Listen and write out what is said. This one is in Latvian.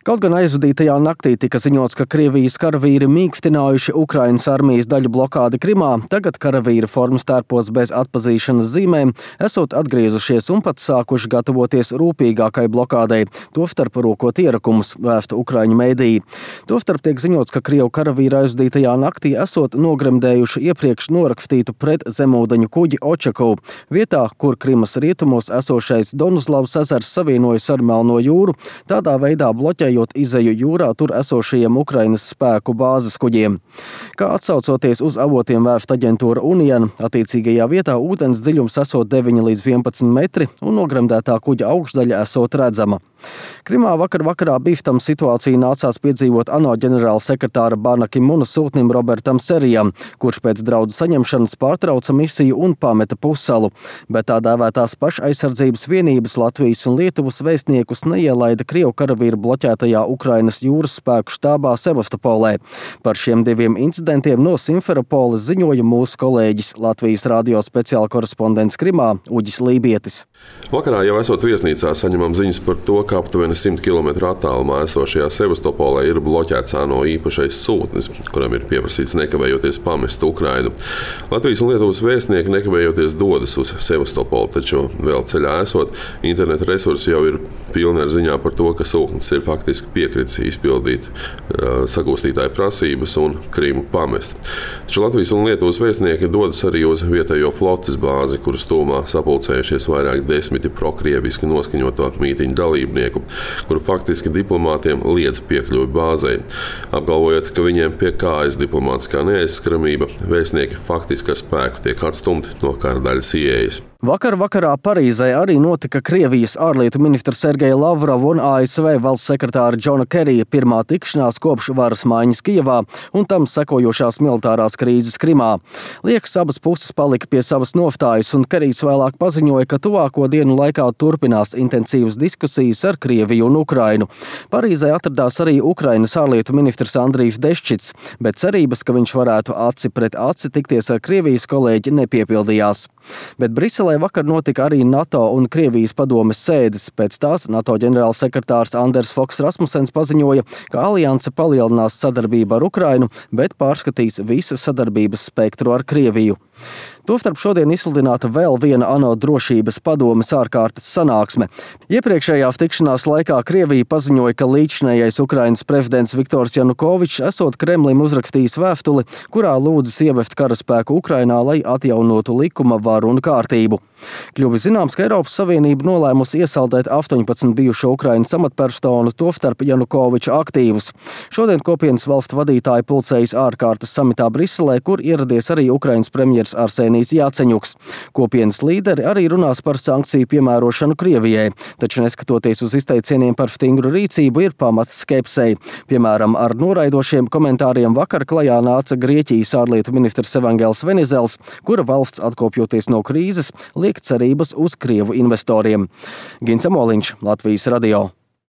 Kaut gan aizvadītajā naktī tika ziņots, ka Krievijas karavīri mīkstinājuši Ukrainas armijas daļu blokādi Krimā, tagad karavīri formas tērpos bez atpazīšanas zīmēm, esot atgriezušies un pat sākuši gatavoties rūpīgākai blokādei, tostarp rokot ierakumus, vēsta ukraiņu mēdīji. Tostarp tiek ziņots, ka Krievu karavīri aizvadītajā naktī esot nogremdējuši iepriekš norakstītu pret zemūdeņu kuģi Očakovu, vietā, kur Krimas rietumos esošais Donuzlavas ezers savienojas ar Melno jūru, tādā veidā bloķējot izeju jūrā tur esošajiem Ukrainas spēku bāzes kuģiem. Kā atsaucoties uz avotiem vēsta aģentūra Union, attiecīgajā vietā ūdens dziļums esot 9 līdz 11 metri un nogremdētā kuģa augšdaļa esot redzama. Krimā vakarā bīstama situācija nācās piedzīvot ANO ģenerāla sekretāra Bana Ki-muna sūtnim Robertam Serijam, kurš pēc draudu saņemšanas pārtrauca misiju un pameta pussalu, bet tā dēvētās pašaizsardzības vienības Latvijas un Lietuvas vēstniekus neielaida Krievu karavīru bloķētajā Ukrainas jūras spēku štābā Sevastopolē. Par šiem diviem incidentiem no Simferopoles ziņoja mūsu kolēģis Latvijas radio speciāla korespondents Krimā Uģis Lībietis. Vakarā jau esot viesnīcā saņemam ziņas par to, ka aptuveni 100 km attālumā esošajā Sevastopolē ir bloķēts ANO īpašais sūtnis, kuram ir pieprasīts nekavējoties pamest Ukrainu. Latvijas un Lietuvas vēstnieki nekavējoties dodas uz Sevastopolu, taču vēl ceļā esot, interneta resursi jau ir pilni ar ziņām par to, ka sūtnis ir faktiski piekritis izpildīt sagūstītāju prasības un Krimu pamest. Taču Latvijas un Lietuvas vēstnieki dodas arī uz vietējo flotes bāzi, kuras tūmā sapulcējušies vairāk desmiti prokrieviski noskaņoto mītiņu dalībnieku, kuru faktiski diplomātiem liedz piekļuvi bāzei. Apgalvojot, ka viņiem pie kājas diplomātiskā neaizskaramība, vēstnieki faktiski ar spēku tiek atstumti no kara daļas ieejas. Vakarā Parīzē arī notika Krievijas ārlietu ministra Sergeja Lavrova un ASV valsts sekretāra Džona Kerija pirmā tikšanās kopš varas maiņas Kijevā un tam sekojošās militārās krīzes Krimā. Liekas, abas puses palika pie savas nostājas, un Kerijs vēlāk paziņoja, ka tuvāko dienu laikā turpinās intensīvas diskusijas ar Krieviju un Ukrainu. Parīzē atradās arī Ukrainas ārlietu ministrs Andrijs Deščits, bet cerības, ka viņš varētu aci pret aci tikties ar Krievijas kolēģi, nepiepildījās. Bet Briselē vakar notika arī NATO un Krievijas padomes sēdes. Pēc tās NATO ģenerālsekretārs Anders Foks Rasmussens paziņoja, ka alianse palielinās sadarbību ar Ukrainu, bet pārskatīs visu sadarbības spektru ar Krieviju. Tostarp šodien izsludināta vēl viena ANO drošības padomes ārkārtas sanāksme. Iepriekšējās tikšanās laikā Krievija paziņoja, ka līdzinējais Ukrainas prezidents Viktors Janukovičs esot Kremlim uzrakstījis vēstuli, kurā lūdzis ievest karaspēku Ukrainā, lai atjaunotu likuma varu un kārtību. Kļuvis zināms, ka Eiropas Savienība nolēmusi iesaldēt 18 bijušo Ukrainas amatpersonu, tostarp Janukoviča aktīvus. Šodien kopienas valstu vadītāji pulcējas ārkārtas samitā Briselē, kur ieradies arī Ukrainas premjers Arsenijs Jāceņuks. Kopienas līderi arī runās par sankciju piemērošanu Krievijai, taču neskatoties uz izteicieniem par stingru rīcību, ir pamats skepsei. Piemēram, ar noraidošiem komentāriem vakar klajā nāca Grieķijas ārlietu ministrs Evangels Venizels, kura valsts atkopjoties no krīzes liek cerības uz Krievu investoriem. Gins Amoliņš, Latvijas radio.